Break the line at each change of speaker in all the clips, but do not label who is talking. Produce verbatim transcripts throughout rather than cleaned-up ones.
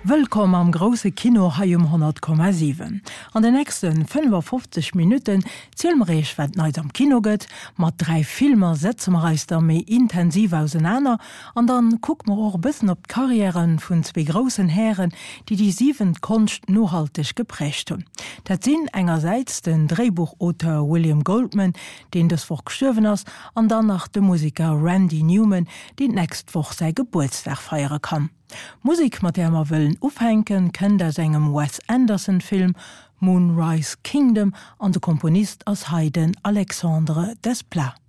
Wëllkomm am grousse Kino hei um honnert Komma siwen. An den nächste fënnefafofzeg Minutten ziele mer iech wat Neits am Kino gëtt. Mat dräi Filmer setze mer eis da méi intensiv ausenaner an dann kucke mer och e bëssen op d'Karriären vun zwee groussen Hären, déi déi siwent Konscht nohalteg geprägt hunn. Dat sinn engersäits den Dréibuchauteur William Goldman, deen dës Woch gestuerwen ass, an dann nach de Museker Randy Newman, deen d'nächst Woch säi Gebuertsdag feiere kann. D'Musek, mat där mer wëllen ufänken, kënnt aus engem Wes Anderson Film, Moonrise Kingdom, an de Komponist ass hei den Alexandre Desplat.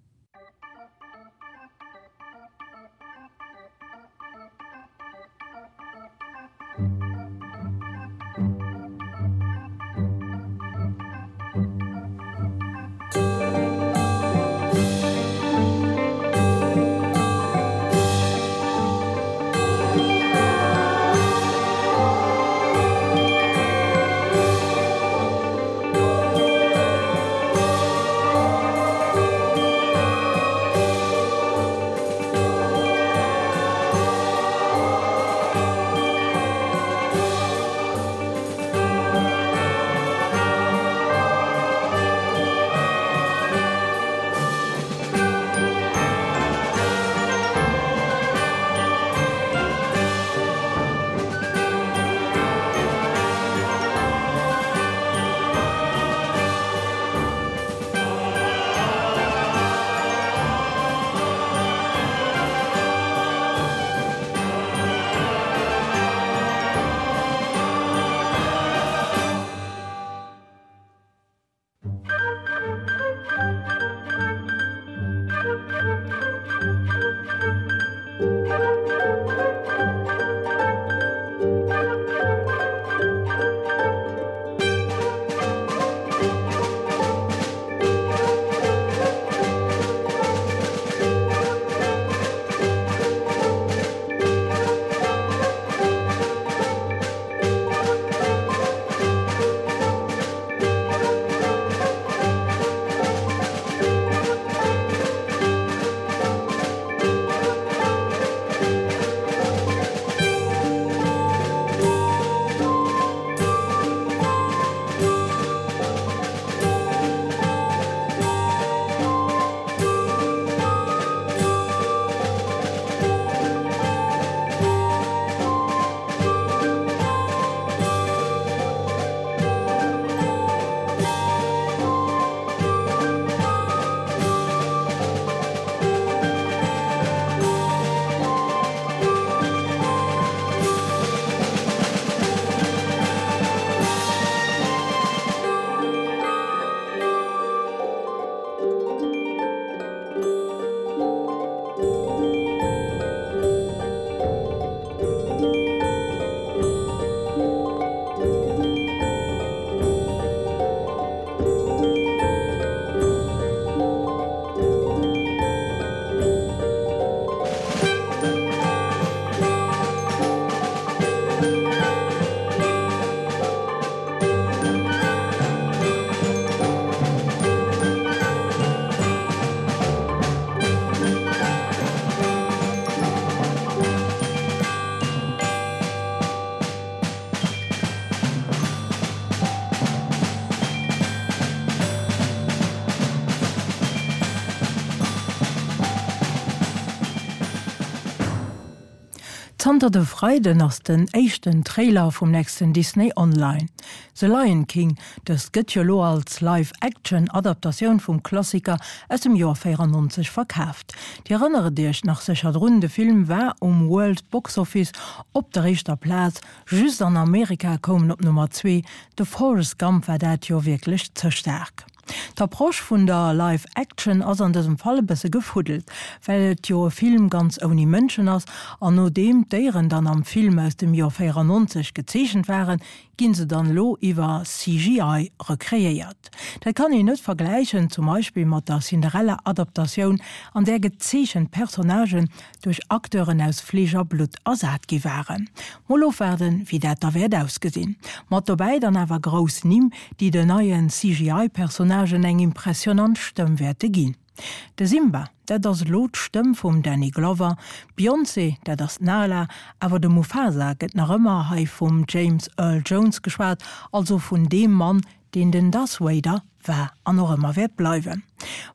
Zanter de Freiden ass den éischten Trailer vum nächsten Disney online. The Lion King, dëst gëtt jo lo als Live-Action-Adaptatioun vum Klassiker aus dem Joer véierannonzeg verkaaft. Dir erënnert Iech nach sécher drun, de Film war um World Box Office op der éischter Plaz, just an Amerika koum en op Nummer zwee. De Forrest Gump war dat Joer wierklech ze staark. D'Approche vun der Live Action ass an dësem Fall e bësse gefuddelt, well et jo e Film ganz ouni Mënschen ass, an nodeem d'Déieren dann am Film aus dem Joer véierannonzeg gezeechent waren, ginn se dann elo iwwer C G I rekreéiert. Dat kann een net vergläichen zum Beispill mat der Cinderella-Adaptatioun, an där gezeechent Personnagen duerch Acteuren aus Fleesch a Blutt ersat gi waren. Mol ofwaarden, wéi dat da wäert ausgesinn. Mat dobäi dann awer grouss Nimm, déi den neien C G I-Personnagen eng impressionant Stëmm wäerte ginn. De Simba, dat ass elo d'Stëmm vum Danny Glover, d'Beyoncé, dat ass d'Nala, awer de Mufasa gëtt nach ëmmer hei vum James Earl Jones geschwat, also vun deem Mann, deen den Darth Vader war an och ëmmer wäert bleiwen.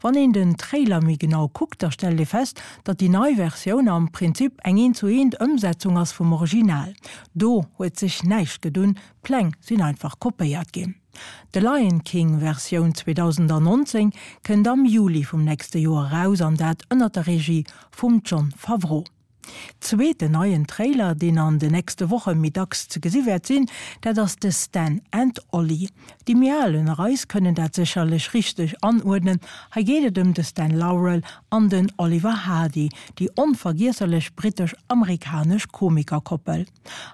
Wann een den Trailer méi genau kuckt, da stellt ee fest, datt déi nei Versioun am Prinzip eng eent zu eent Ëmsetzung ass vum Original. Do huet sech näischt gedunn, d'Pläng sinn einfach kopéiert ginn. The Lion King Versioun zweedausendannonzéng kënnt am Juli vum nächste Joer eraus an dat ënnert der Regie vum Jon Favreau. Zweeten neien Trailer, deen an de nächste Woche méi dacks ze gesi wäert sinn, dat ass de Stan and Ollie. Déi méi al ënner eis kënnen dat sécherlech richteg anuerdnen, hei geet et ëm de Stan Laurel an den Oliver Hardy, déi onvergiesserlech brittesch-amerikanesch Komikerkoppel.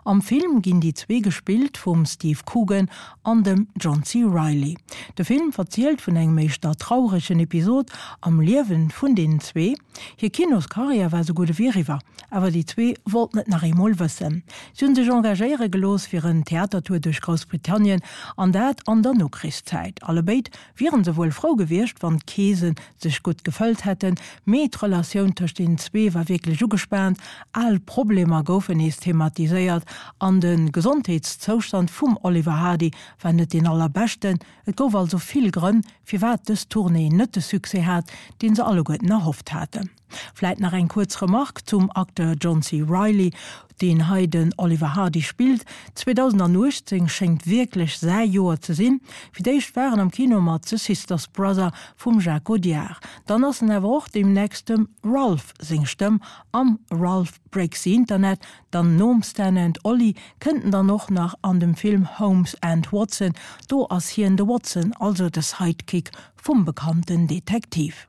Am Film ginn déi zwee gespillt vum Steve Coogan an dem John C. Reilly. De Film verzielt vun engem éischter trauregen Episod am Liewen vun deenen zwee. Hir Kinoskarriär war sou gutt ewéi eriwwer, awer déi zwee wollten et nach eemol wëssen. Si hunn sech engagéiere gelooss fir en Theatertour duerch Groussbritannien, an dat an der Nokrichszäit. Allebéid wieren se wuel frou gewiescht, wann d'Keese sech gutt gefëllt hätten, mee d'Relatioun tëscht deenen zwee war wierklech ugespaant, al Problemer goufen nees thematiséiert an de Gesondheetszoustand vum Oliver Hardy war net deen allerbeschten. Et gouf also vill Grënn, firwat dës Tournée net de Succès hat, deen se alleguerten erhofft haten. Vläit nach eng kuerz Remark zum Acteur John C. Reilly, deen hei den Oliver Hardy spillt, zweedausendanuechtzéng schéngt wierklech säi Joer ze sinn. Fir d'éischt war en am Kino mat The Sisters Brother vum Jacques Audiard. Dann ass en awer och deemnächst dem Ralph seng Stëmm am Ralph Breaks the Internet. Dann nom Stan and Ollie kënnt en dann och nach an dem Film Holmes and Watson. Do ass hien de Watson, also de Sidekick vum bekannten Detektiv.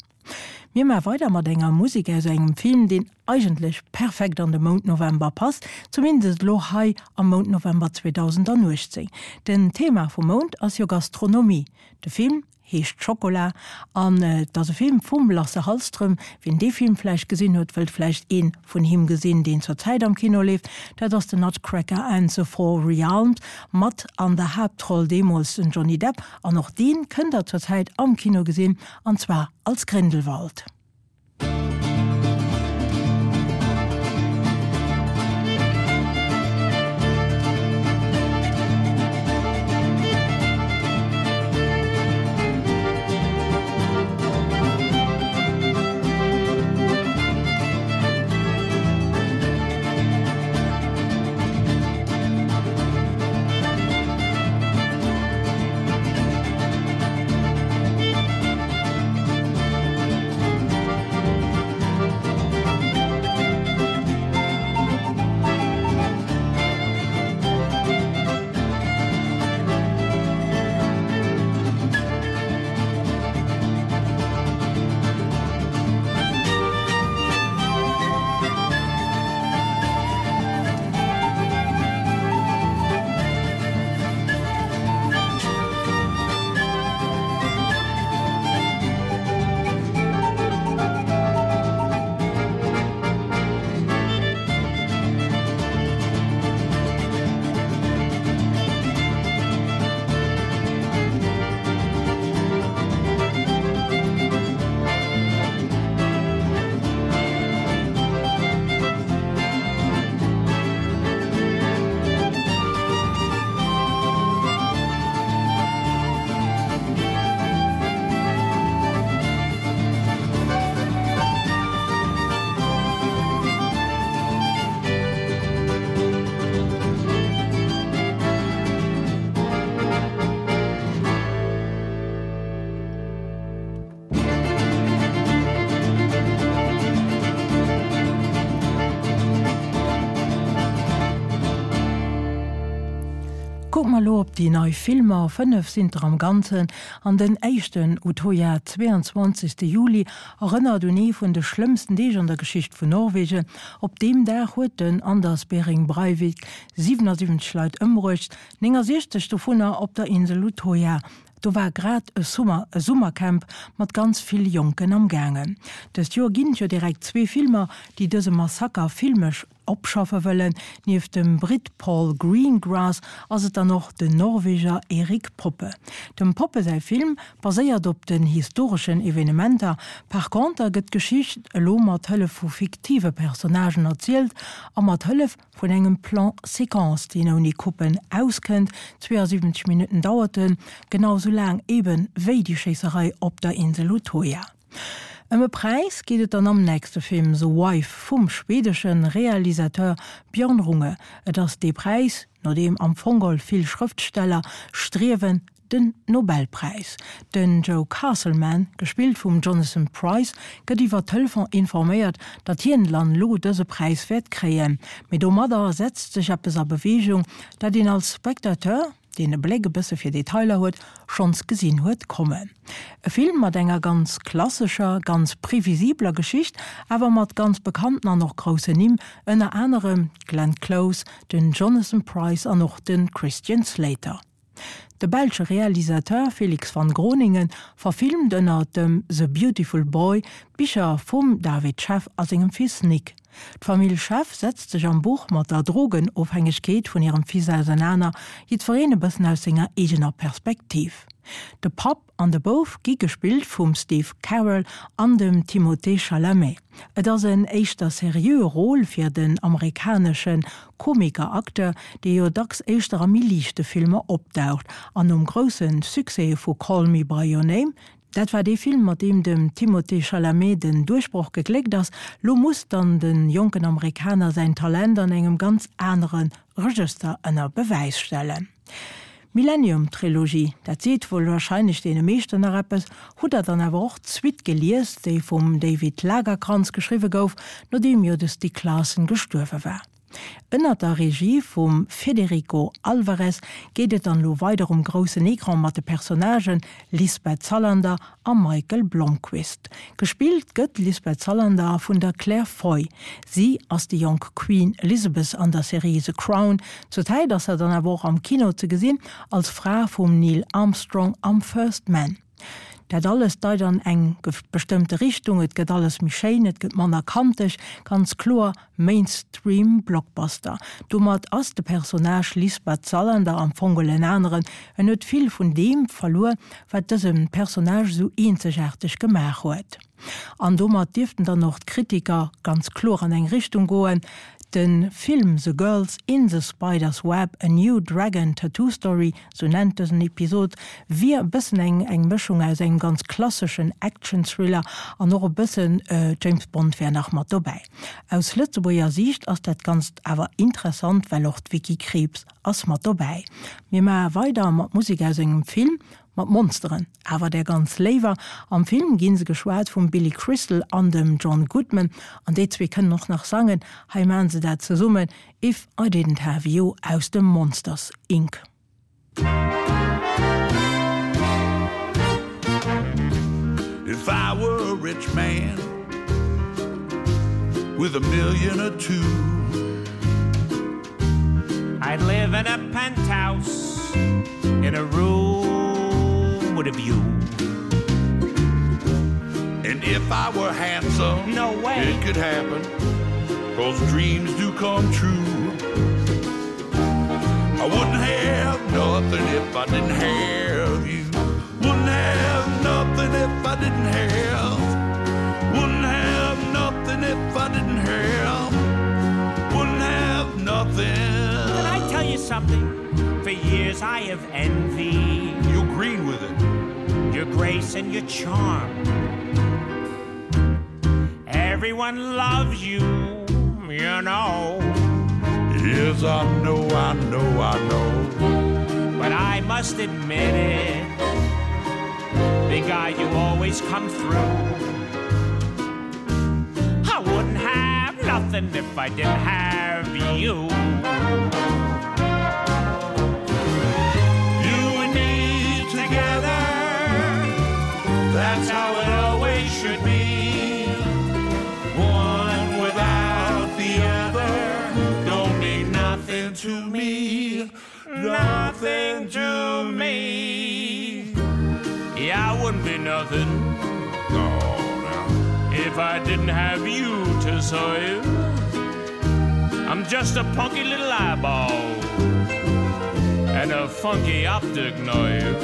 Mir maache weider mat enger Musek aus engem Film, deen eigentlech perfekt an de Mount November passt, zumindest elo hei am Mount November zweedausendanuechtzéng. Den Thema vum Mount ass jo Gastronomie. De Film heescht Schokola an et ass e Film vum Lasse Hallström. Wien dee Film vläicht gesinn huet, wëllt vläicht ee vun him gesinn, deen zur Zäit am Kino leeft. Dat ass The Nutcracker and the Four Realms mat an der Haaptroll deemools den Johnny Depp. An och dee kënnt der zur Zäit am Kino gesinn, an zwar als Grindelwald. Kucke mer elo op déi nei Filmer, fënnef sinn der am Ganzen, an den éischten, Utøya, zwéianzwanzegste Juli, erënnert un ee vun de schlëmmsten Deeg an der Geschicht vun Norwegen. Op deem Dag huet den Anders Behring Breivik siwenasiwwenzeg Leit ëmbruecht, néngansiechzeg dovunner op der Insel Utøya. Do war grad e Summer, e Summercamp mat ganz vill Jonken am gaangen. Dëst Joer ginn et jo direkt zwee Filmer, déi dëse Massaker filmesch opschaffe wëllen. Nieft dem Britt Paul Greengrass ass et dann och den Norweger Erik Poppe. Dem Poppe säi Film baséiert op den historeschen Evenementer, par conter gëtt d'Geschicht elo mat Hëllef vu fiktive Personnagen erzielt a mat Hëllef vun engem Plan séquence, deen ouni Coupen auskënnt. zweeënsiwwenzeg Minutten dauert en, genau sou laang eben wéi déi Schéisserei op der Insel Utoya. Ëm e Präis geet et dann am nächste Film The Wife vum schwedesche Realisateur Björn Runge. Et ass dee Präis, no deem am Fong geholl vill Schrëftsteller striewen, den Nobelpräis. Den Joe Castleman, gespillt vum Jonathan Pryce, gëtt iwwer Telefon informéiert, datt hien dann elo dëse Präis wäert kréien. Mee domadder setzt sech eppes a Beweegung, dat een als Spectateur, deen e Bléck e bësse fir Detailer huet, schonns gesinn huet kommen. E Film mat enger ganz klassescher, ganz previsibler Geschicht, awer mat ganz bekannten an och groussen Nimm, ënner anerem d'Glenn Close, den Jonathan Pryce an och de Christian Slater. De belsche Realisateur Felix van Groeningen verfilmt ënner dem The Beautiful Boy d'Bicher vum David Sheff a sengem Fils Nick. D'Famill Sheff setzt sech am Buch mat der Drogenofhängegkeet vun hirem Fils ausernaner, jiddwereen e bëssen aus senger eegener Perspektiv. De Papp an de Bouf gi gespillt vum Steve Carell an dem Timothée Chalamet. Et ass en éischter seriöe Rôle fir den amerikanesche Komiker-Acteur, dee jo dacks éischter a méi liichte Filmer opdaucht an nom grousse Succès vu Call Me by Your Name, dat war dee Film, mat deem dem Timothée Chalamet den Duerchbroch gegléckt ass, lo muss dann de jonken Amerikaner säin Talent an engem ganz anere Regëster ënner Bewäis stellen. D'Millennium-Trilogie, dat seet wuel warscheinlech deene meeschten nach eppes. Hutt der dann awer och d'Suite gelies, déi vum David Lagercrantz geschriwwe gouf, nodeem jo de Stieg Larsson gestuerwe war? Ënnert der Regie vum Federico Alvarez geet et dann elo weider um groussen Ecran mat de Personnagen Lisbeth Salander a Michael Blomqvist. Gespillt gëtt d'Lisbeth Salander vun der Claire Foy. Si ass déi jonk Queen Elizabeth an der Serie The Crown. Zur Zäit ass se dann awer och am Kino ze gesinn als Fra vum Neil Armstrong am First Man. Dat alles deit an eng bestëmmte Richtung, et gëtt alles méi schéin, et gëtt manner kanteg, ganz kloer Mainstream Blockbuster. Domat ass de Personnage Lisbeth Salander am Fong geholl en aneren, en huet vill vun deem verluer, wat dëse Personnage esou eenzegaarteg gemaach huet. An domat dierften dann och d'Kritiker ganz kloer an eng Richtung goen, De Film The Girls in the Spider's Web, A New Dragon Tattoo Story, sou nennt dësen Episod, wier e bëssen eng eng Mëschung aus engem ganz klasseschen Action-Thriller an och e bëssen James Bond wär nach mat dobäi. Aus Lëtzebuerger Siicht ass dat Ganzt awer interessant, well och d'Vicky Krieps ass mat dobäi. Mir maache weider mat Musek aus engem Film mat Monsteren, awer där ganz léiwer. Am Film gi se geschwat vum Billy Crystal an dem John Goodman, an déi zwee kënnen och nach sangen. Hei maachen se dat zesummen, If I Didn't Have You aus dem Monsters, Inc.
If I were a rich man with a million or two
I'd live in a penthouse in a room with a view
And if I were handsome
no way
it could happen cause dreams do come true I wouldn't have nothing if I didn't have you Wouldn't have nothing if I didn't have Wouldn't have nothing if I didn't have Wouldn't have nothing
Can I tell you something? For years I have envied
You green with it
Your grace and your charm Everyone loves you, you know
Yes, I know, I know, I know
But I must admit it Big guy, you always come through I wouldn't have nothing if I didn't have you
You and me together That's how it always should be One without the other Don't mean nothing to me Nothing to
me Yeah, I wouldn't be nothing
No, no.
If I didn't have you to serve I'm just a punky little eyeball and a funky optic nerve.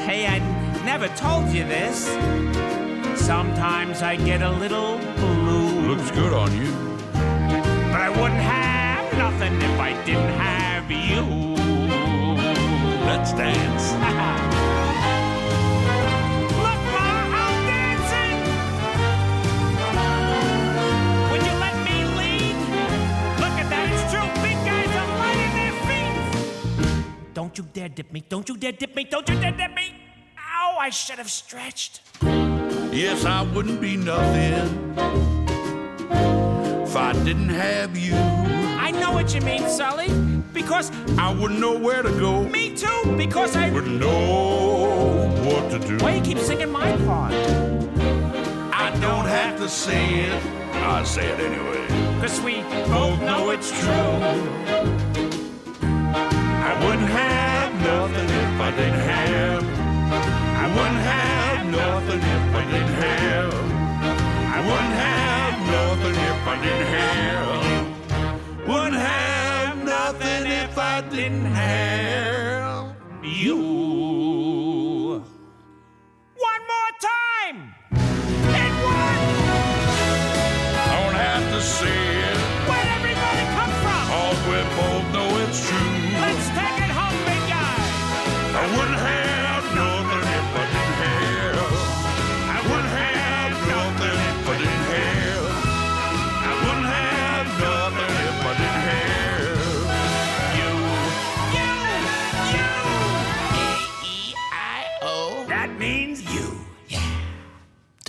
Hey, I never told you this. Sometimes I get a little blue.
Looks good on you.
But I wouldn't have nothing if I didn't have you.
Let's dance.
Look, Ma, I'm dancing. Would you let me lead? Look at that, it's true. Big guys are light in their feet. Don't you dare dip me. Don't you dare dip me. Don't you dare dip me. Ow, I should have stretched.
Yes, I wouldn't be nothing if I didn't have you.
I know what you mean, Sully. Because
I wouldn't know where to go.
Me too, because I
wouldn't know what to do.
Why you keep singing my part?
I don't have to say it. I say it anyway.
Cause we both know it's true.
I wouldn't have nothing if I didn't have. I wouldn't have nothing if I didn't have. I wouldn't have nothing if I didn't have. Wouldn't have nothing if I didn't have
you. One more time. It won.
Don't have to say it.
Where'd everybody come from?
Cause we both know it's true.
Let's take it home, big guy.
I wouldn't have nothing if I didn't have. I wouldn't have nothing if I didn't have. I wouldn't have nothing if I didn't have
you. You, you. A E I O. That means you.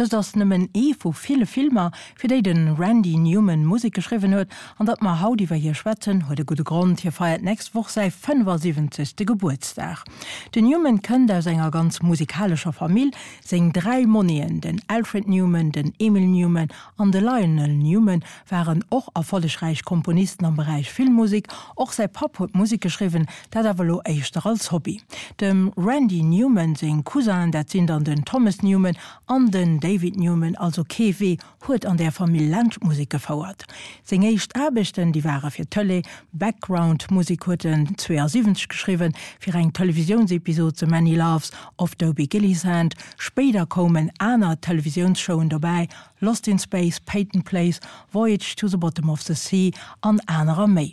Dëst ass nëmmen ee vu ville Filmer, fir déi de Randy Newman Musek geschriwwen huet, an datt mer haut iwwer hie schwätzen, huet e gudde Grond, hie feiert d'nächst Woch säi fënnefasiwwenzegste Gebuertsdag. Den Newman kënnt aus enger ganz musikalescher Famill, seng dräi Monnien, den Alfred Newman, den Emil Newman an de Lionel Newman, waren och erfollegräich Komponisten am Beräich Filmmusek. Och säi Papp huet Musek geschriwwen, dat awer elo éischter als Hobby. Dem Randy Newman seng Cousinen, dat sinn dann den Thomas Newman an den David Newman, also kee Wee huet an der Famill laanscht d'Musek gefouert. Seng éischt Aarbechten, déi ware fir d'Tëlee, Background-Musek huet en zweeasiwwenzeg geschriwwen, fir eng Televisiounsepisod The Many Loves of Dobie Gillisand. Spéider koumen aner Televisiounsshowen dobäi, Lost in Space, Peyton Place, Voyage to the Bottom of the Sea an anerer méi.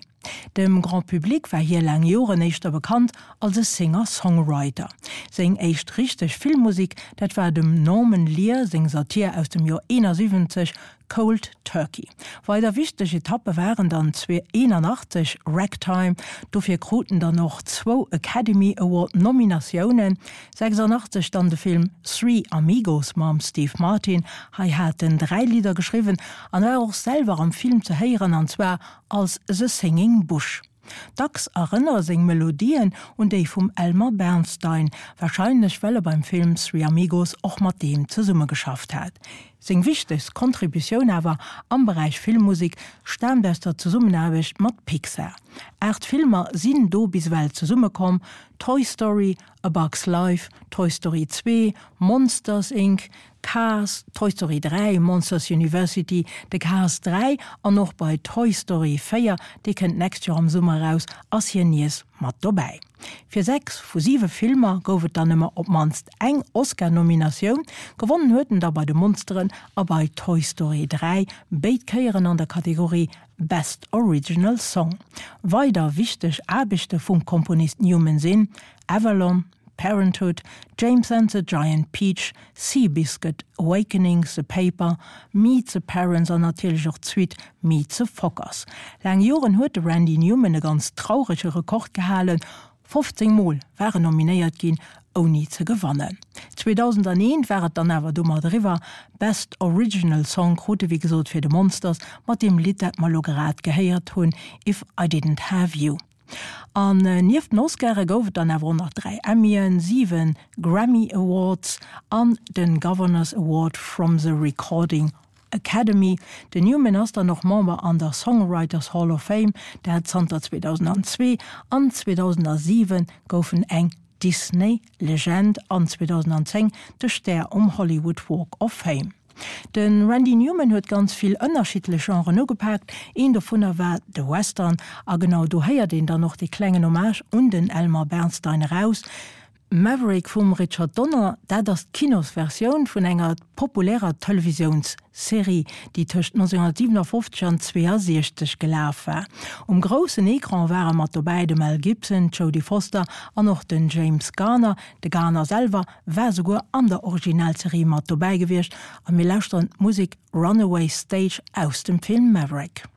Dem Grand Public war hie laang Joren éischter bekannt als e Singer-Songwriter. Seng éischt richteg Filmmusek, dat war dem Norman Lear seng Satir aus dem Joer eenasiwwenzeg Cold Turkey. Weider wichteg Etappe waren dann zweeënachtzeg Ragtime, dofir krut en dann och zwou Academy Award Nominatiounen, sechsandachtzeg dann de Film Three Amigos mam Steve Martin, hei hat en dräi Lidder geschriwwen an war och selwer am Film ze héieren an zwar als The Singing Bush. Dacks erënnere seng Melodien un déi vum Elmer Bernstein, warscheinlech well e beim Film Three Amigos och mat deem zesummegeschafft hat. Seng wichtegst Kontributioun awer am Beräich Filmmusek staamt aus der Zesummenaarbecht mat Pixar. Aacht Filmer sinn do bis ewell zesummekomm, Toy Story, A Bug's Life, Toy Story zwee, Monsters, Inc. Cars, Toy Story dräi, Monsters University, de Cars dräi an och bei Toy Story véier, dee kënnt d'nächst Joer am Summer eraus, ass hien nees mat dobäi. Fir sechs vu siwe Filmer gouf et dann ëmmer op d'mannst eng Oscar-Nominatioun, gewonnen huet en da bei de Monsteren a bei Toy Story dräi, béid Kéieren an der Kategorie Best Original Song. Weider wichteg Aarbechte vum Komponist Newman sinn Avalon, Parenthood, James and the Giant Peach, Seabiscuit, Awakening, The Paper, Meet the Parents an natierlech och d'Suite Meet the Fockers. Laang Joren huet de Randy Newman e ganz traurege Rekord gehalen, fofzéng Mol war en nominéiert ginn, ouni ze gewannen. zweedausendaneent war et dann awer domat eriwwer, Best Original Song krut e wéi gesot fir de Monsters mat deem Lidd, dat mer elo grad gehéiert hunn, If I Didn't Have You. An nieft den Oscare gouf et dann awer och nach dräi Emmyen, siwe Grammy Awards an de Governor's Award from the Recording Academy. Den Newman ass dann och Member an der Songwriters Hall of Fame, dat zanter zweedausendzwee, an zweedausensiwe gouf en eng Disney Legend an zweedausendzéng de Stär um Hollywood Walk of Fame. De Randy Newman huet ganz vill ënnerschiddlech Genren ugepaakt, een dovunner war de Western a genau do héiert een dann och dee klengen Hommage un den Elmer Bernstein eraus. Maverick vum Richard Donner, dat ass d'Kinosversioun vun enger populärer Televisiounsserie, déi tëscht nonzénhunnertsiwenafofzeg an zweeënsiechzeg gelaf war. Um groussen Ecran ware mat dobäi de Mel Gibson, d'Jodie Foster an och den James Garner. De Garner selwer war souguer an der Originalserie mat dobäi gewiescht a mir lauschteren d'Musek Runaway Stage aus dem Film Maverick.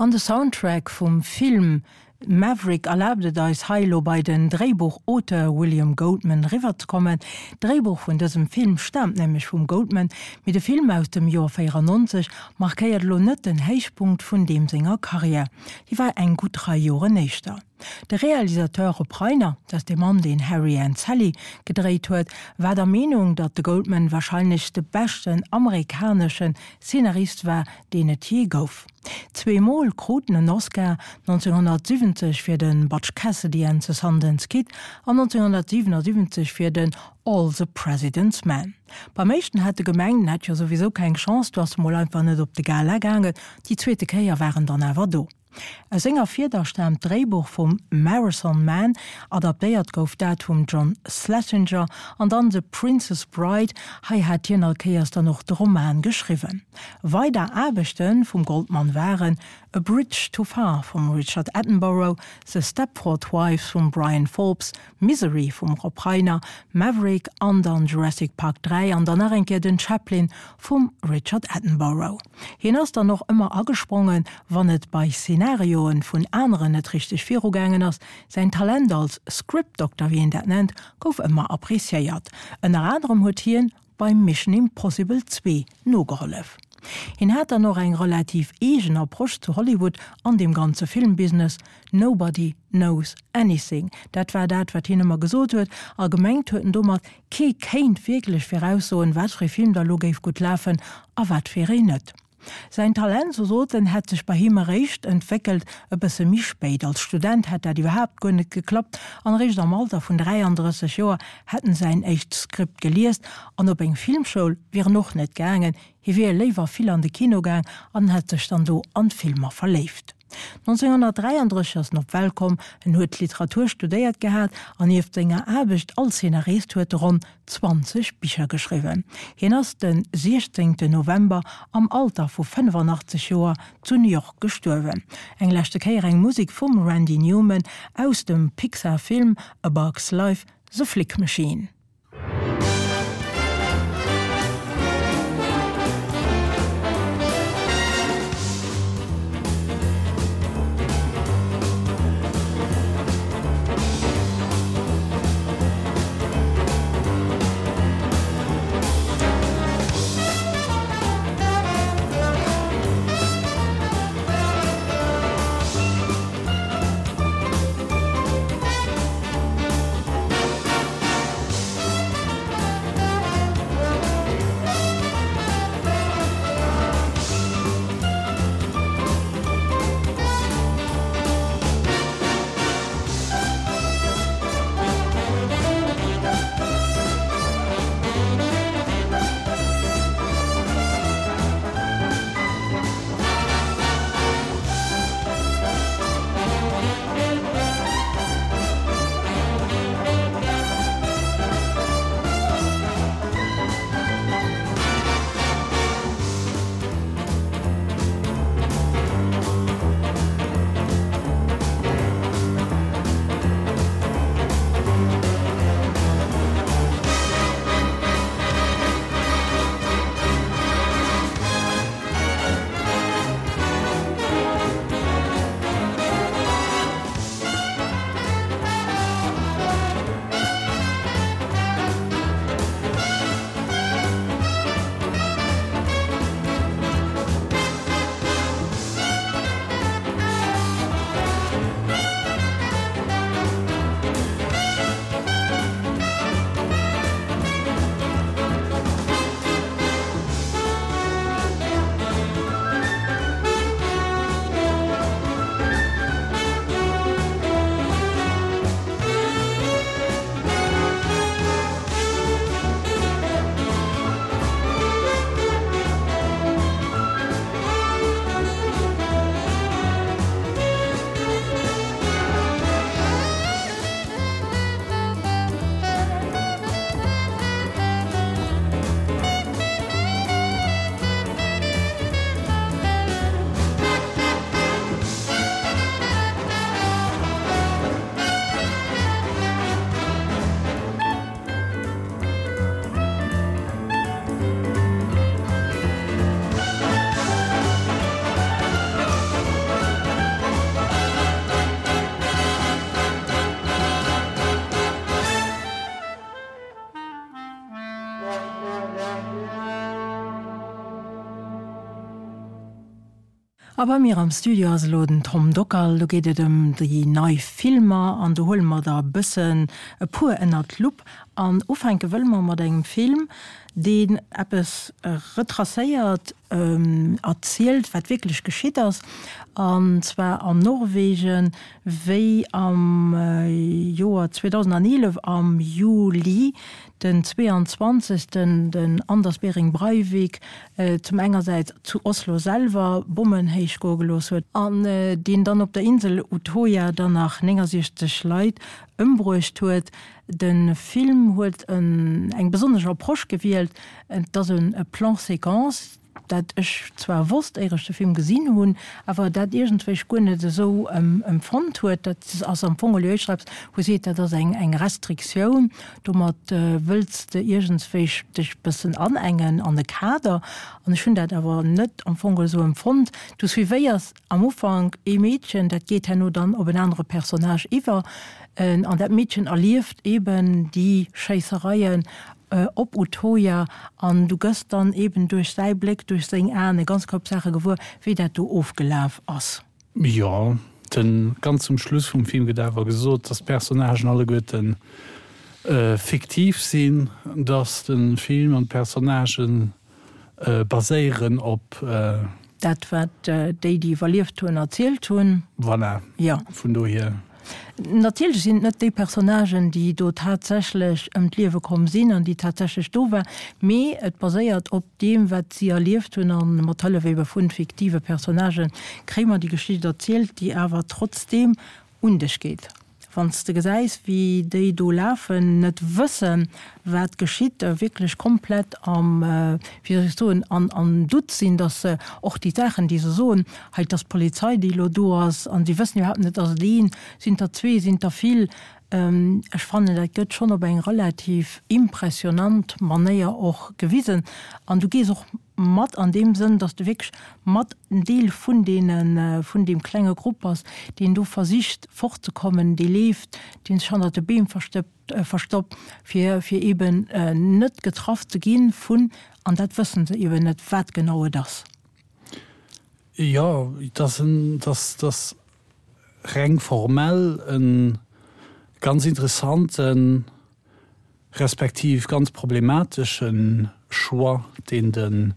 An de Soundtrack vum Film Maverick erlaabt et eis hei elo bei den Dréibuchauteur William Goldman eriwwer ze kommen. D'Dréibuch vun dësem Film staamt nämlech vum Goldman, mee de Film aus dem Joer véierannonzeg markéiert elo net den Héichpunkt vun deem senger Karriär, déi war eng gutt Rei Joren éischter. De Realisateur Rob Reiner, dat ass dee Mann deen Harry and Sally gedréit huet, war der Meenung, datt de Goldman warscheinlech de beschten amerikanesche Szenarist war, deen et jee gouf. Zwee Mol krut en en Oscar, nonzénghonnertsiwwenzeg fir de Butch Cassidy and the Sundance Kid an nonzénghonnertsiwwenasiwwenzeg fir den All the President's Men. Beim éischten hat e gemengt, en hätt jo souwisou keng Chance, du ass e mol einfach net op de Gala gaangen. Déi zweete Kéier war en dann awer do. Aus senger Fieder staamt d'Dréibuch vum Marathon Man, adaptéiert gouf dat vum John Schlesinger, an dann The Princess Bride, hei hat hien all Kéiers dann och de Roman geschriwwen. Weider Aarbechte vum Goldman waren A Bridge Too Far vum Richard Attenborough, The Stepford Wives vum Bryan Forbes, Misery vum Rob Reiner, Maverick an dann Jurassic Park dräi an dann nach eng Kéier den Chaplin vum Richard Attenborough. Hien ass dann och ëmmer agesprongen, wann et bei Szenarioen vun aneren net richteg virugaangen ass. Säin Talent als Script Doctor, wéi een dat nennt, gouf ëmmer appreciéiert. Ënner anerem huet hien bei Mission Impossible zwee nogehollef. Hien hat dann och eng relativ eegen Approche zu Hollywood an deem ganze Filmbusiness, Nobody knows anything. Dat war dat, wat hien ëmmer gesot huet, a gemengt huet en domat, kee kéint wierklech viraussoen, wat fir ee Film da lo géif gutt lafen a wat fir een net. Säin Talent, sou sot en, hätt sech bei him eréischt entwéckelt e bësse méi spéit. Als Student hätt dat iwwerhaapt guer net geklappt an eréischt am Alter vun dräiandrësseg Joer hätt en säin éischt Skript geliest an op eng Filmschoul wier en och net gaangen, hie wier léiwer vill an de Kino gaang an hätt sech dann do an d'Filmer verléift. nonzénghonnertdräiandrësseg ass en op d'Welt komm, en huet Literatur studéiert gehat an nieft senger Aarbecht als Szenarist huet e ronn zwanzeg Bicher geschriwwen. Hien ass de siechzéngten November am Alter vu fënnefannachtzeg Joer zu New York gestuerwen. Eng leschte Kéier eng Musek vum Randy Newman aus dem Pixar-Film A Bug's Life, The Flick Machine. A bei mir am Studio ass elo den Tom Dockal. Do geet et ëm déi nei Filmer an do huele mer der e bëssen e puer ënnert d'Lupp. An ufänke wëlle mer mat engem Film, deen eppes retracéiert, erzielt, wat wierklech geschitt ass, an zwar an Norwegen, wéi am Joer zweedausendaneelef am Juli den zweeanzwanzegsten den Anders Behring Breivik zum engersäits zu Oslo selwer Bommen héich goe gelooss huet an deen dann op der Insel Utoya dann nach néngasiechzeg Leit ëmbruecht huet. De Film huet eng besonnesch Approche gewielt, et ass e Plan séquence, dat ech zwar wosst, éier ech de Film gesinn hunn, awer dat iergendwéi guer net esou empfonnt huet. Dat ass am Fong elo éischter eppes, wou seet, dat ass eng eng Restriktioun, domat wëlls de iergendswéi dech bëssen anengen an e Kader. An ech hunn dat awer net am Fong esou empfonnt. Du suivéiers am Ufank ee Meedchen, dat geet herno dann op en anere Personnage iwwer, an dat Meedchen erlieft eben déi Schéissereien op Utoya an du gëss dann eben duerch säi Bléck, duerch seng Aen e ganz Koup Saache gewuer, wéi dat do ofgelaf ass.
Jo, den, ganz zum Schluss vum Film gëtt awer gesot, dass d'Personnagen alleguerten fiktiv sinn, dass de Film an d'Personnagen baséieren op.
Dat, wat déi, déi iwwerlieft hunn, erzielt hunn.
Voilà.
Jo.
Vun dohier.
Natierlech sinn et net déi Personnagen, déi do tatsächlech ëm d'Liewe komm sinn an déi tatsächlech do waren, mee et baséiert op deem, wat si erlieft hunn a mat Hëllef ebe vu fiktive Personnagen kréie mer déi Geschicht erzielt, déi awer trotzdeem un dech geet. Wann s de gesäis, wéi déi do lafen, net wëssen, wat geschitt, wierklech komplett am, wéi soll ech soen, an am Doute sinn, dass se och déi Saachen, déi se soen, hei, et ass d'Polizei, déi elo do ass, an si wëssen iwwerhaapt net, ass et een, sinn et der zwee, sinn et der vill. Ech fannen, dat gëtt schonn op eng relativ impressionant Manéier och gewisen. An du gees och mat an deem Sënn, dass de wierklech mat en Deel vun deene, vun deem klenge Grupp bass, deen do versicht fortzekommen, dee leeft, dee sech hannert de Beem verstëppt, verstoppt, fir, fir eeben net getraff ze gi vun, an dat wësse se eeben net, wat genau et ass.
Jo, et ass en, et ass, et ass reng formell e ganz interessanten, respektiv ganz problematesche Choix, deen den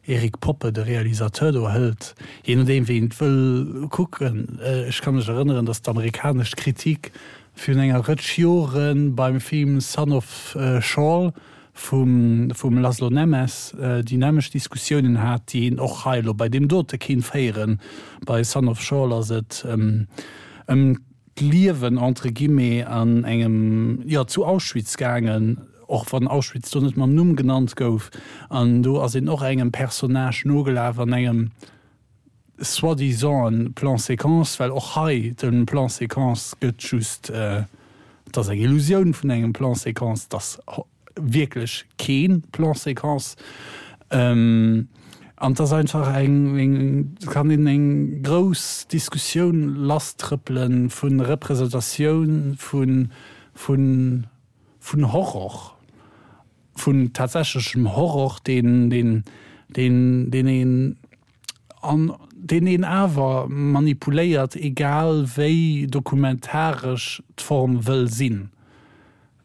Eric Poppe, de Realisateur, do hëlt, jee nodeem wéi een et wëll kucken. Ech ka mech erënneren, datt d'amerikanesch Kritik virun enger Rëtsch Jore beim Film Son of Saul vum vum Laszlo Nemes déi nämmlecht Diskussiounen hat, déi een och hei elo bei deem dote kéint féieren. Bei Son of Saul ass et ëm d'Liewen entre guillemets an engem, jo, zu Auschwitz gaangen, och wann Auschwitz do net mam Numm genannt gouf. An do ass een och engem Personnage nogelaf an engem soi-disant Plan séquence, well och hei de Plan séquence gëtt just, et ass eng Illusioun vun engem Plan séquence, et ass wierklech kee Plan séquence. An et ass einfach eng, eng, et kann een eng grouss Diskussioun lasstrëppele vu Representatioun, vu, vu, vun Horror, vun tatsächlechem Horror, deen, deen, deen, deen een an deen een awer manipuléiert, egal wéi dokumentaresch d'Form wëll sinn.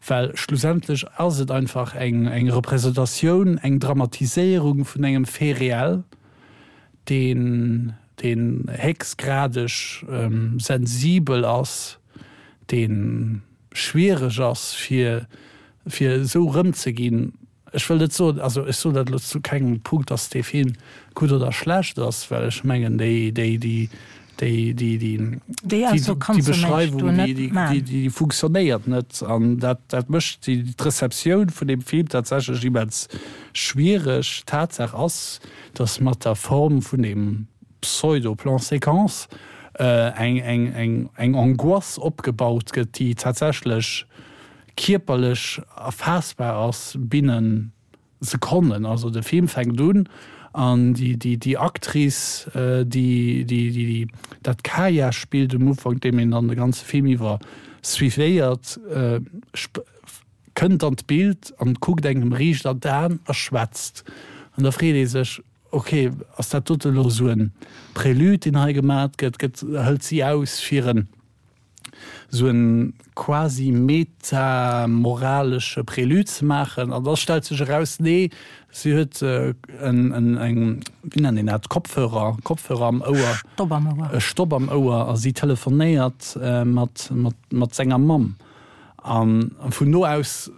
Well schlussendlech ass et einfach eng eng Representatioun, eng Dramatiséierung vun engem Fait réel, deen deen héchstgradeg sensibel ass, dee schwiereg ass fir fir esou erëmzeginn. Ech wëll net soen, also ech soen dat elo zu kengem Punkt, datt dee Film gutt oder schlecht ass, well ech mengen déi, déi, déi, déi, déi, déi,
Déi Ausso
déi
kanns du mengs
Beschreiwung,
du
déi,
net
déi,
maachen.
déi funktionéiert net. An dat, dat mécht déi, d'Receptioun vun deem Film tatsächlech immens schwiereg. Tatsaach ass, datt mat der Form vun deem Pseudo-Plan-séquence eng, eng, eng, eng Angoisse opgebaut gëtt, déi tatsächlech kierperlech erfaassbar ass binnen Sekonnen. Also de Film fänkt un an déi, déi, déi Actrice, déi, déi, déi dat Kaya spillt um Ufank, deem een dann de ganze Film iwwer suivéiert, kënnt an d'Bild an kuckt engem riicht an d'Aen a schwätzt. An da freet ee sech, okay, ass dat dote lo sou en Prélude, deen hei gemat gëtt, gëtt, hëlt si aus fir en sou en quasi meta-moralesche Prélude ze maachen, an da stellt sech eraus, nee, si huet en, en, eng, wéi nennt een dat, Kopfhörer, Kopfhörer am Ouer,
Stopp am Ouer,
e Stopp am Ouer, a si telefonéiert mat, mat, mat senger Mamm. An vun do aus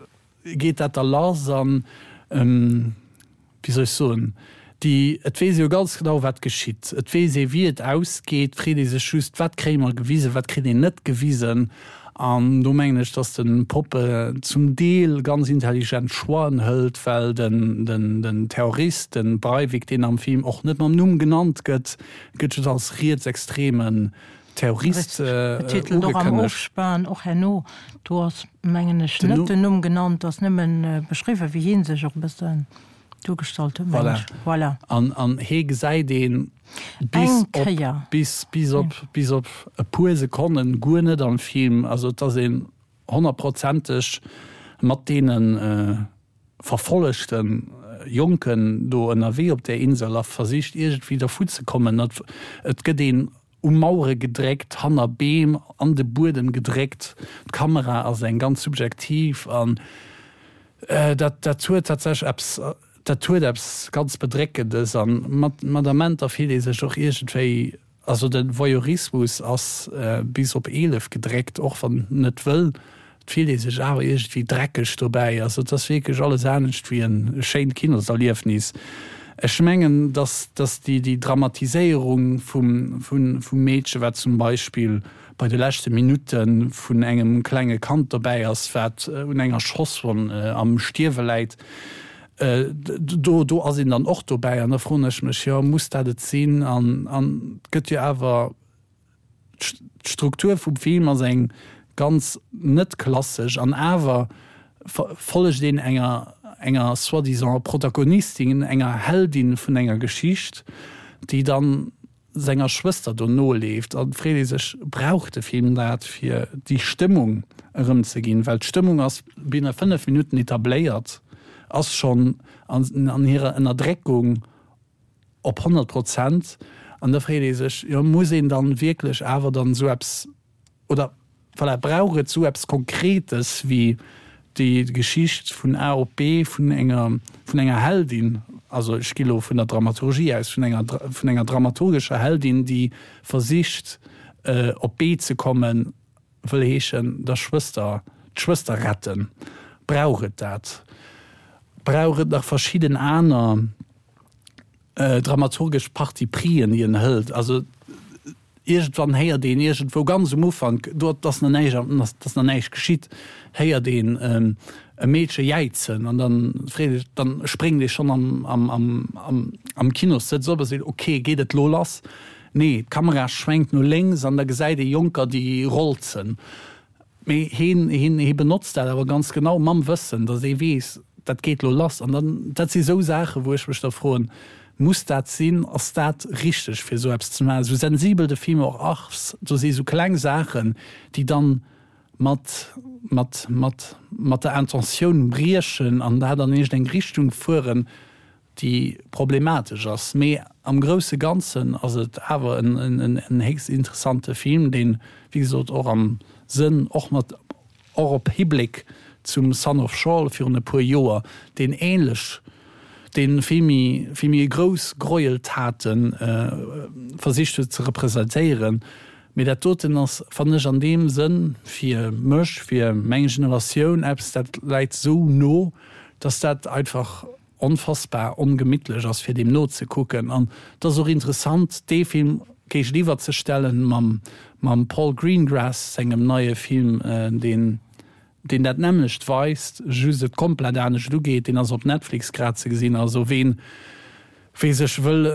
geet dat da lass an, wéi soll ech soen, déi, et weess ee jo ganz genau, wat geschitt. Et weess ee, wéi et ausgeet. Et freet ee sech just, wat kréie mer gewisen, wat kritt een net gewisen. An do mengen ech, datt de Poppe zum Deel ganz intelligent Choixen hëlt, well den, den, den Terrorist, de Breivik, deen am Film och net mam Numm genannt gëtt, gëtt just als rietsextremen Terrorist
Betitelt, och am
ugekënnegt.
Ofspan, och herno, do ass, mengen ech, net den Numm genannt, ass nëmmen beschriwwen, wéi hie sech och e bëssen duergestallt huet, mengen
Voilà.
ech. Voilà.
An, an hee gesäit ee bis
Eng
op,
Kéier.
bis, bis op, bis op e puer Sekonnen guer net am Film. Also et ass een honnertprozenteg mat deene verfollegte Jonken do ënnerwee op där Insel a versicht iergendwéi dervu ze kommen. Et, et gëtt een u Mauere gedréckt, hanner Beem, an de Buedem gedréckt. D'Kamera ass eng ganz subjektiv an dat, dat huet tatsächlech eppes, dat huet eppes ganz Bedréckendes an mat, mat Amenter fillt ee sech och iergendwéi, also de Voyeurismus ass bis op eelef gedréckt, och wann net wëll, et fillt ee sech awer iergendwéi dreckeg dobäi. Also et ass wierklech alles anescht wéi e schéint Kinoserliefnis. Ech mengen, dass, dass déi, déi Dramatiséierung vum, vun, vum Meedche, wat zum Beispill bei de leschte Minutte vun engem klenge Kand dobäi ass, wat un enger Schosswonn am Stierwe läit, do, do ass een dann och dobäi. An da froen ech mech, jo, muss dat et sinn? An, an et gëtt jo awer, d'Struktur vum Film ass eng ganz net klassesch an awer follegt een enger, enger soi-disant Protagonistin, enger Heldin vun enger Geschicht, déi dann senger Schwëster do noleeft. An et freet ee sech, brauch de Film dat, fir déi Stëmmung erëmzeginn? Well d'Stëmmung ass binnen fënnef Minutten etabléiert, ass schonn an, an hirer Ënnerdréckung op honnert Prozent. An da freet ee sech, jo, muss een dann wierklech awer dann esou eppes, oder voilà, brauch et esou eppes Konkretes wéi déi Geschicht vun A op B vun enger, vun enger Heldin, also ech gi lo vun der Dramaturgie aus, vun enger, vun enger dramaturgescher Heldin, déi versicht op B ze kommen, wëll heeschen der Schwëster, d'Schwëster retten. Brauch et dat? Brauch et nach verschidden aner dramaturgesch Parti prisen, déi en hëlt? Also iergendwann héiert een iergendwou ganz um Ufank, do ass nach näischt, ass nach näischt geschitt, héiert een e Meedche jäizen an dann freet ee, dann spréngt ee schonn am, am, am, am, am Kinossëtz op a seet, ok, geet et lo lass? Nee, d'Kamera schwenkt no lénks an da gesäit ee Jonker, déi rolzen. Mee heen, heen, hee benotzt dat awer ganz genau mam Wëssen, datt ee weess, dat geet lo lass. An dann, dat si sou Saachen, wou ech mech da froen, Muss dat sinn? Ass dat richteg, fir esou eppes ze maachen? Esou sensibel de Film och ass, do si sou kleng Saachen, déi dann mat, mat, mat, mat der Intentioun briechen an dat an iergendeng Richtung fueren, déi problematesch ass. Mee am grousse Ganzen ass et awer en, en héchst interessante Film, deen, wéi gesot, och am Sënn, och mat, och op Hibléck zum Son of Saul virun e puer Joer, deen ähnlech, dee vill méi, vill méi grouss Gräueltate versicht huet ze representéieren. Mee dat doten ass, fannen ech, an deem Sënn fir mech, fir meng Generatioun eppes, dat läit esou no, dass dat einfach onfassbar ongemittlech ass, fir deem nozekucken. An et ass och interessant, dee Film géigeniwwer ze stellen mam, mam Paul Greengrass sengem neie Film, deen, deen dat nämmlecht weist, just et komplett anescht ugeet. Deen ass op Netflix grad ze gesinn. Also ween, wee sech wëll,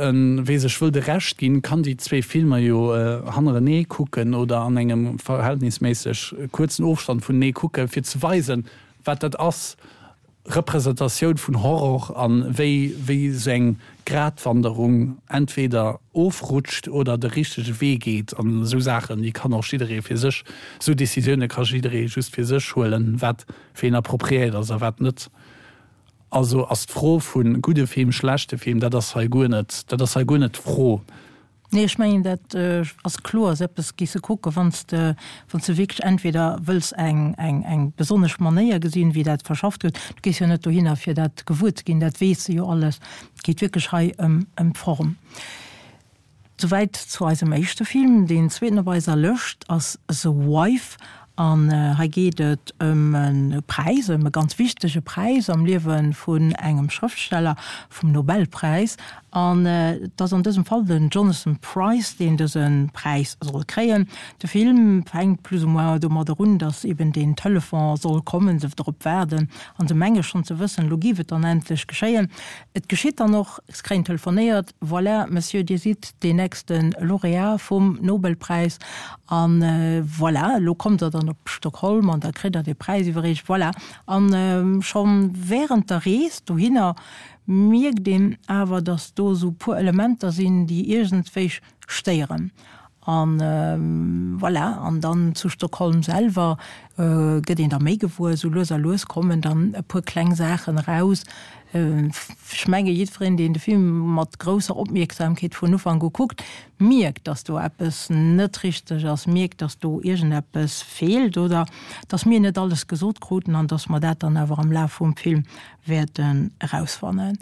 wee sech wëll de Rescht ginn, kann déi zwee Filmer jo hannerenee kucken oder an engem verhältnisméisseg kuerzen Ofstand vunenee kucken, fir ze weisen, wat dat ass, Representatioun vun Horror an wéi wéi esou eng Gratwanderung entweder ofrutscht oder de richtege Wee geet an esou Saachen, déi kann och jidderee fir sech, esou Decisioune ka jidderee just fir sech huelen, wat fir een appropriéiert ass a wat net. Also ass d'Fro vu gudde Film, schlechte Film, dat ass hei guer net, dat ass hei guer net d'Fro.
Nee, ech mengen dat ass kloer, ass eppes gees de kucke wann s de, wann s de wierklech entweder wëlls eng, eng, eng besonnesch Manéier gesinn, wéi dat verschafft gëtt. Du gees jo net dohinner fir dat gewuer ze ginn, dat weess de jo alles. Et geet wierklech hei ëm, ëm d'Form. Souwäit zu eisem éischte Film. Deen zweeten op eiser Lëscht ass The Wife. An hei geet et ëm e Präis, ëm e ganz wichtege Präis am Liewe vun engem Schrëftsteller, vum Nobelpräis. An et ass an dësem Fall den Jonathan Pryce, deen dëse Präis soll kréien. De Film fänkt plus ou moins domadder un, datt eben deen Telefon soll kommen, se drop waarden an se menge schonn ze wëssen, elo géif et dann endlech geschéien. Et geschitt dann och, se kréien telefonéiert, Voilà, Monsieur, Dir sidd deen nächste Laureat vum Nobelpräis an voilà, elo kommt Der dann op Stockholm an da kritt Der dee Präis iwwerreecht. Voilà. An scho während der Rees dohinner mierkt een awer, datt do esou e puer Elementer sinn, déi iergendwéi stéieren. An voilà, an dann zu Stockholm selwer gëtt een da méi gewuer, esou lues a lues kommen dann e puer kleng Saachen eraus. Ech menge jiddwereen, deen de Film mat grousser Opmierksamkeet vun Ufank u kuckt, mierkt, datt do eppes net richteg ass, mierkt, datt do iergendeppes feelt oder datt mir net alles gesot kruten an datt mer dat dann awer am Laf vum Film wäerten erausfannen.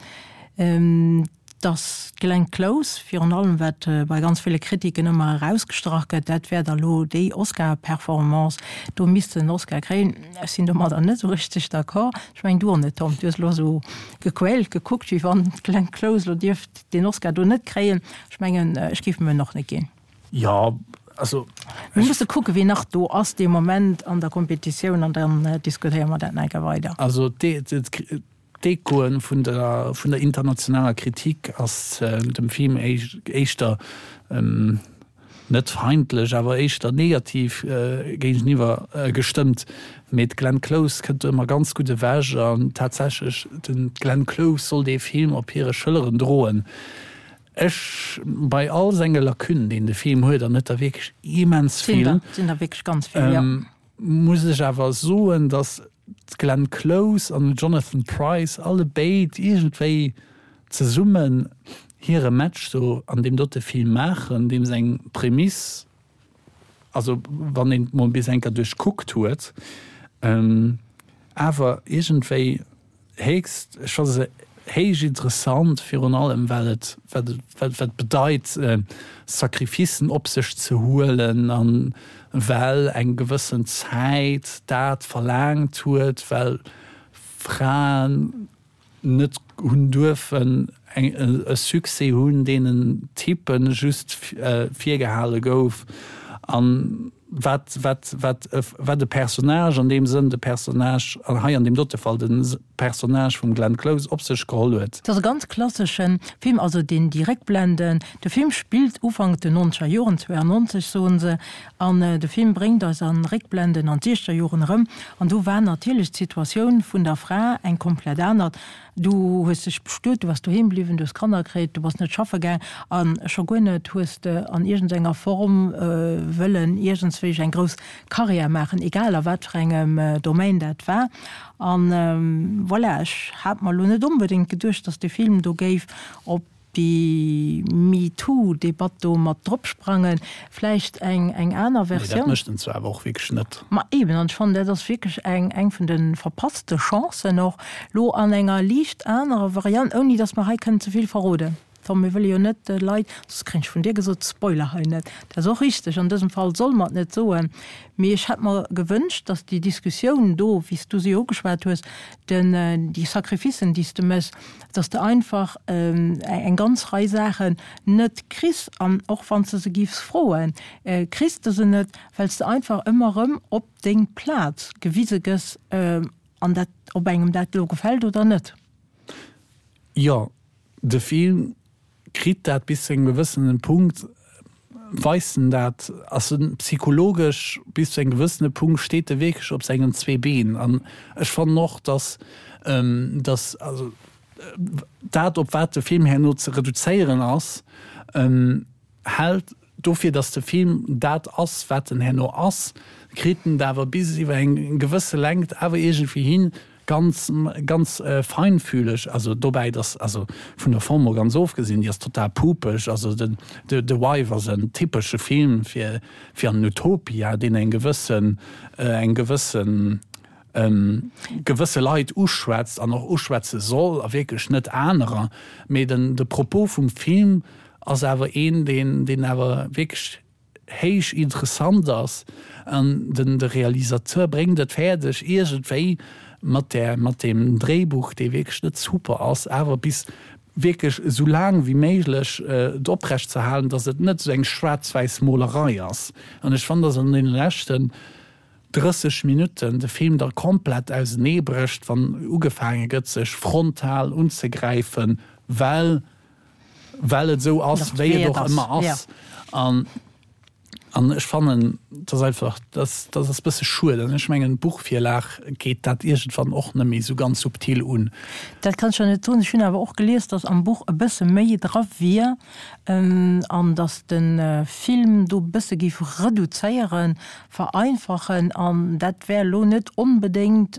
Dass d'Glenn Close, virun allem wat bei ganz ville Kritiken ëmmer erausgestrach gëtt, dat wär da lo déi Oscar-Performance, do misst se en Oscar kréien. Ech sinn domadder net esou richteg d'accord. Ech mengen, du och net, Tom. Du hues elo esou gequält gekuckt, wéi wann d'Glenn Close elo dierft deen Oscar do net kréien. Ech mengen, ech géif em en och net ginn.
Jo, also.
Mir musse kucken, wien nach do ass dee Moment an der Kompetitioun an dann diskutéiere mer dat nach eng Kéier weider.
Also d'Echoen vun der vun der internationaler Kritik ass dem Film éischter net feindlech, awer éischter negativ géigeniwwer gestëmmt. Mee d'Glenn Close kënnt do ëmmer ganz gutt ewech an tatsächlech, den d'Glenn Close soll dee Film op hire Schëlleren droen. Ech, bei all senge Lacunen, deen de Film huet, an huet der wierklech immens vill,
sinn der wierklech ganz vill, jo.
Muss ech awer soen, datt d'Glenn Close an den Jonathan Pryce allebéid iergendwéi zesummen hire Match do an deem dote Film maachen, deem seng Prämiss, also wann een et mol bis eng Kéier duerchkuckt huet, awer iergendwéi héchst, ech fanne se héich interessant, virun allem well et, wat et, wat et bedeit Sacrificen op sech ze huelen a well eng gewëssen Zäit dat verlaangt huet, well Fraen net hunn duerfen eng e Succès hunn, deenen Typen just virgehale gouf an wat, wat, wat, wat e Personnage, an deem Sënn de Personnage, an hei an deem dote Fall de Personnage vum Glenn Close, op sech geholl huet.
Et ass e ganz klassesche Film, also deen déi Réckblenden, de Film spillt Ufank den nonzeger Joren, zweiundneunzeg soen se, an de Film bréngt eis an Réckblenden an d'siechzeger Joren erëm, an do war natierlech d'Situatioun vun der Fra eng komplett aner. Du hues dech bestuet, du bass doheem bliwwen, du hues Kanner kritt, du bass net schaffe gaang a scho guer net hues de an iergendenger Form wëllen iergendswéi eng grouss Karriär maachen, egal a wat fir engem Domaine dat war. An voilà, ech hat mer elo net onbedéngt geduecht, datt dee Film do géif op déi MeToo-Debatt do mat drop sprangen, vläicht eng eng aner
Versioun. Nee, dat mécht en zwar awer och wierklech net.
Ma eben, an ech fannen, dat ass wierklech eng eng vun de verpasste Chancen och, lo an enger liicht anerer Variant, ouni datt mer hei kënnen ze vill verroden. Tom, mir wëlle jo net de Leit, soss kréien ech vun dir gesot, spoiler hei net. Dat ass och richteg, an dësem Fall solle mer et net soen. Mee ech hätt mer gewënscht, datt déi Diskussioun do, wéi s du se jo ugeschwat hues, den, déi Sacrificen, déi s de méchs, dass de einfach eng ganz Rei Saachen net kriss an och wann s de se giffs froen, kriss de se net, well s de einfach ëmmer erëm op deng Plaz gewise gëss an dat, ob engem dat elo gefält oder net.
Jo, de Film kritt dat bis zu engem gewëssenen Punkt. Weist en dat, ass en psychologesch bis zu engem gewëssene Punkt steet e wierklech op sengen zwee Been. An ech fannen och, dass, dass also dat op wat de Film herno ze reduzéieren ass, hält dofir, dass de Film dat ass wat en herno ass, kritt en et awer bis iwwer eng gewësse Längt awer iergendwéi hin, ganz ganz äh, feinfühleg also dobäi dass also vun der Form mol ganz ofgesinn déi ass total pupeg also den de The Wife ass en typesche Film fir fir an Utopia deen eng gewëssen äh, eng gewëssen ähm, gewësse Leit uschwätzt an och uschwätze soll a wierklech net anerer mee den de Propos vum Film ass awer een deen deen awer wierklech héich interessant ass an den de Realisateur bréngt et fäerdeg iergendwéi mat der mat dem Dréibuch dee wierklech net super ass awer bis wierklech esou laang wéi méiglech äh, et oprecht ze halen dass et net esou eng schwaarz-wäiss Molerei ass an ech fannen dass an deene leschten drësseg Minutten de Film da komplett auseneebrécht wann ugefaange gëtt sech frontal unzegräifen well well et esou ass wéi et och ëmmer ass an an ech fannen dat ass einfach dat dat ass bësse schued an ech mengen d'Buchvirlag geet dat iergendwann och net méi esou ganz subtil un.
Dat kann ech der net soen. Ech hunn awer och gelies, datt am Buch e bësse méi dra wier an datt de Film do bësse géif reduzéieren, vereinfachen an dat wär elo net onbedéngt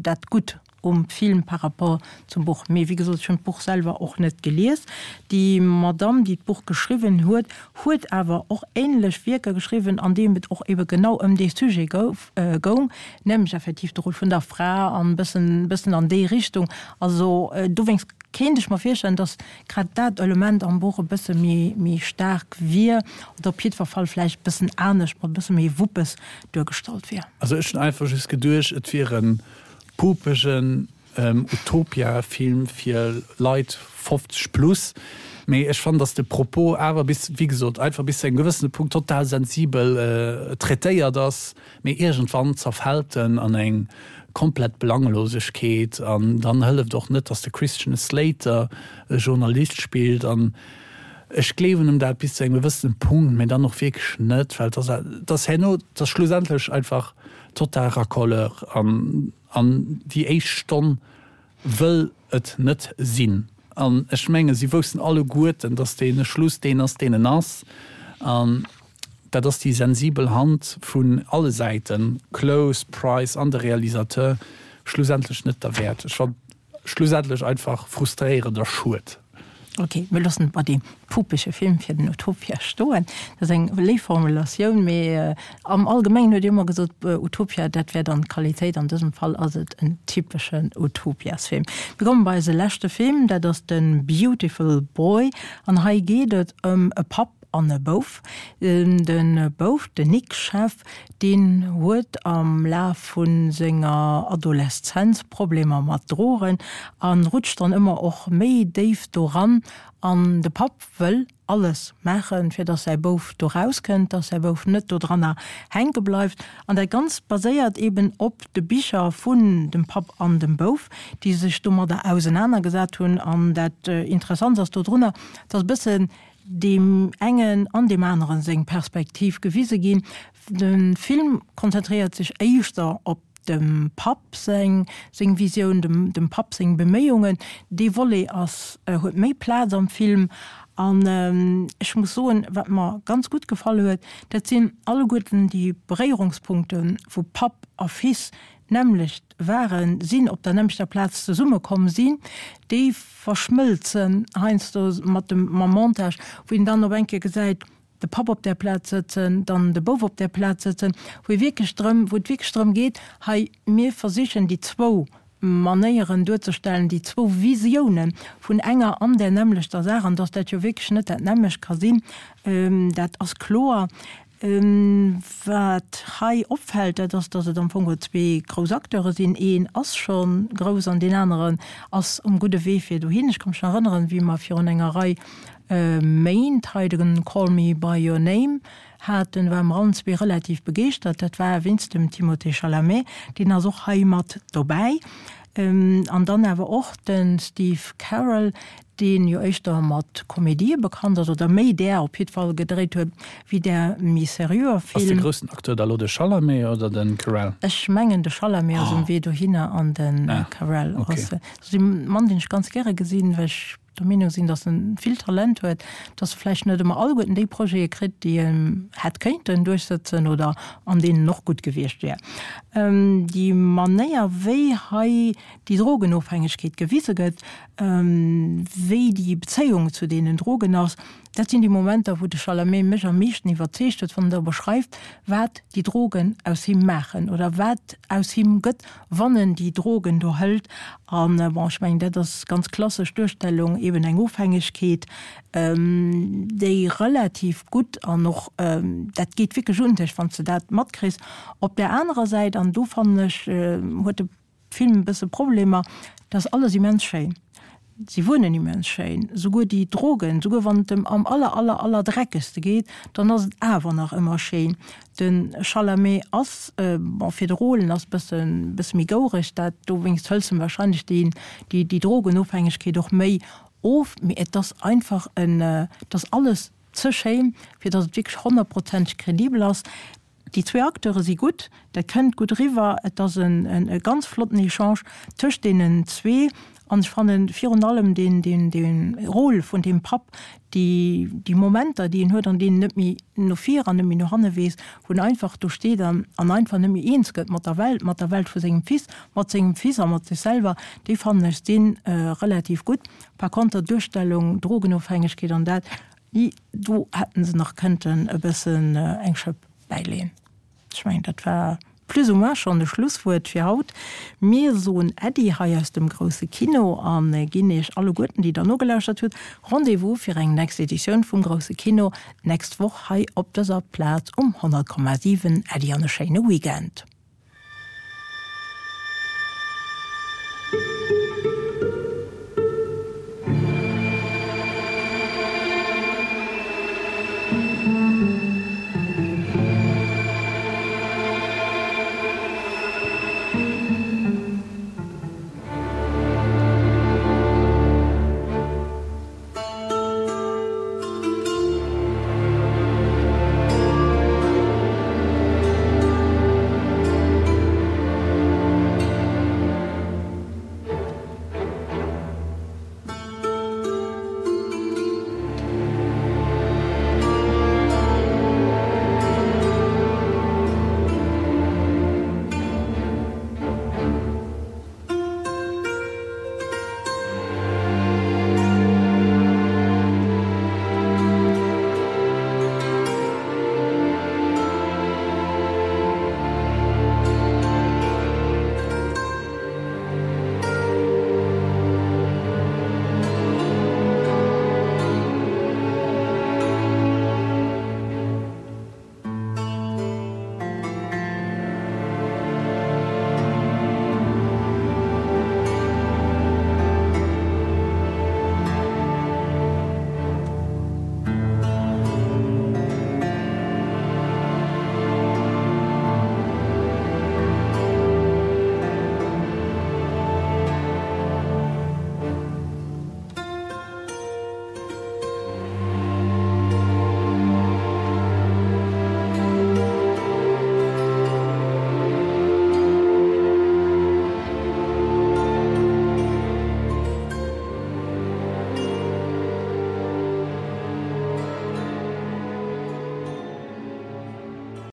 dat Gutt um Film par rapport zum Buch. Mee wéi gesot, ech hunn d'Buch selwer och net gelies. Déi Madamm, déi d'Buch geschriwwen huet, huet awer och änlech Wierker geschriwwen, an deem et och ebe genau ëm dee Sujet gouf, goung, nämlech effektiv de Rôle vun der Fra an e bëssen, bëssen an déi Richtung. Also dowéinst kéint ech mer virstellen, datt grad dat Element am Buch e bësse méi, méi staark wier oder op jiddwer Fall vläicht e bëssen anescht, mat e bësse méi Wuppes duergestallt wier.
Also ech hunn einfach just geduecht, et wier e pupegen Utopia-Film fir Leit fofzeg plus, mee ech fannen, dass de Propos awer bis, wéi gesot, einfach bis zu engem gewëssene Punkt total sensibel traitéiert ass, mee iergendwann zerfält en an eng komplett Belanglosegkeet an dann hëlleft och net, dass de Christian Slater e Journalist spillt an ech gleewen em dat bis zu engem gewëssene Punkt, mee dann och wierklech net, well et ass, et ass herno, et ass schlussendlech einfach total racoleur an an déi éischt Stonn wëll et net sinn. An ech menge si woussten alleguerten, datt dee Schluss deen ass, deen en ass. An dat ass déi sensibel Hand vun alle Säiten, Close, Price an de Realisateur, schlussendlech net derwäert. Ech fand schlussendlech einfach frustréierend a schued.
Ok, mir loossen et bei deem pupege Film fir den Utopia stoen. Dat ass eng léif Formulatioun, mee am Allgemengen huet Dir ëmmer gesot, Utopia, dat wär dann d'Qualitéit. An dësem Fall ass et en typeschen Utopiasfilm. Mir komme bei eise leschte Film, dat ass de Beautiful Boy. An hei geet et ëm e Papp an e Bouf. De Bouf, den Nick Sheff, deen huet am Laf vu senger Adoleszenz Problemer mat Drogen a rutscht dann ëmmer och méi déif doran. An de Papp wëll alles maachen, fir dass säi Bouf do rauskënnt, dass säi Bouf net dodranner hänke bleift. An dat Ganzt baséiert eben op de Bicher vun dem Papp an dem Bouf, déi sech domadder ausenanergesat hunn. An dat Interessants ass dodrunner, dass e bëssen deem engen an deem aneren seng Perspektiv gewise ginn. De Film konzentréiert sech éischter op dem Papp seng seng Visioun, dem dem Papp seng Beméiungen. Dee Volet ass huet méi Plaz am Film. An ech muss soen, wat mer ganz gutt gefall huet, dat sinn alleguerten déi Beréierungspunkte vu Papp a Fils, d'nämmlecht waren, sinn, op der nämmlechter Plaz zesummekomm sinn, déi verschmëlzen heiansdo mat dem, mam Montage, wou een dann op eng Kéier gesäit, de Papp op där Plaz sëtzen, dann de Bouf op där Plaz sëtzen, wou ee wierklech drëm, wou et wierklech drëm geet, hei, mir versichen déi zwou Manéieren duerzestellen, déi zwou Visiounen vun enger an där nämmlechter Saach, an dass dat jo wierklech net dat nämmlecht ka sinn, dat ass kloer. Wat hei opfält, dat ass, datt et am Fong geholl zwee grouss Acteure sinn. Een ass scho grouss an deen aneren ass um gudde Wee fir dohin. Ech ka mech nach erënneren, wéi mer virun enger Rei Méint hei de Call Me by Your Name haten, ware mer allen zwee relativ begeeschtert. Dat war wéinst dem Timothée Chalamet, deen ass och hei mat dobäi. An dann awer och de Steve Carell, dee jo éischter mat Komedië bekannt ass, oder méi där op jiddwer Fall gedréit huet, wéi där méi seriöer
Ass de
Film.
groussen Acteur da lo de Chalamet oder de Carell?
Ech mengen de Chalamet ass um Wee dohinner an de
Ah,
Carell
okay.
ass dee Mann, deen ech ganz gäre gesinn, well ech der Meenung sinn, dass en vill Talent huet, dass e vläicht net ëmmer alleguerten déi Projete kritt, déi en hätt kéinten duerchsëtzen oder an deenen en och gutt gewiescht wär. Déi Manéier, wéi hei déi Drogenofhängegkeet gewise gëtt, wéi déi Bezéiung zu deenen Drogen ass, dat sinn déi Momenter, wou de Chalamet mech am meeschten iwwerzeegt huet, wann en da beschreift, wat déi Drogen aus him maachen oder wat aus him gëtt, wann en déi Drogen do hëlt. An bon, ech mengen, dat ass ganz klassesch Duerstellung, eben eng Ofhängegkeet, déi relativ gutt an och, dat geet wierklech un dech, wann s de dat matkriss. Op där anerer Säit, an do fannen ech, huet de Film e bësse Problemer, dat ass alles immens schéin. Si wunnen immens schéin, souguer déi Drogen, souguer wann et em am aller, aller, aller dreckegste geet, dann ass et awer nach ëmmer schéin. De Chalamet ass, bon, fir de Rôle, en ass bësse, bësse méi goureg, dat dowéinst hëls em wahrscheinlech déi, déi, déi Drogenofhängegkeet och méi of, mee et ass einfach en, et ass alles ze schéin, fir datt et wierklech honnertprozenteg kredibel ass. Déi zwee Acteure si gutt, dat kënnt gutt eriwwer, et ass e ganz flotten Echange tëscht deenen zwee an ech fannen virun allem deen Rôle vun deem Papp, déi déi Momenter, déi en huet, an deenen en net méi no vir an net méi no hanne weess, wou en einfach do steet an einfach net méi eens gëtt mat der Welt, mat der Welt vu sengem Fils, mat sengem Fils a mat sech selwer, déi fannen ech si relativ gutt. Par konter d'Duerstellung, Drogenofhängegkeet an dat, do hätten se nach kënnten e bëssen eng Schëpp bäileeën. Ech mengen, dat war plus ou moins schonn de Schlusswuert fir haut. Mir soen Äddi hei aus dem grousse Kino a ginn Iech alleguerten, déi Der nogelauschtert hutt, Rendez-vous fir eng nächst Editioun vum grousse Kino d'nächst Woch hei op dëser Plaz um honnert Komma siwen. Äddi an e schéine Weekend.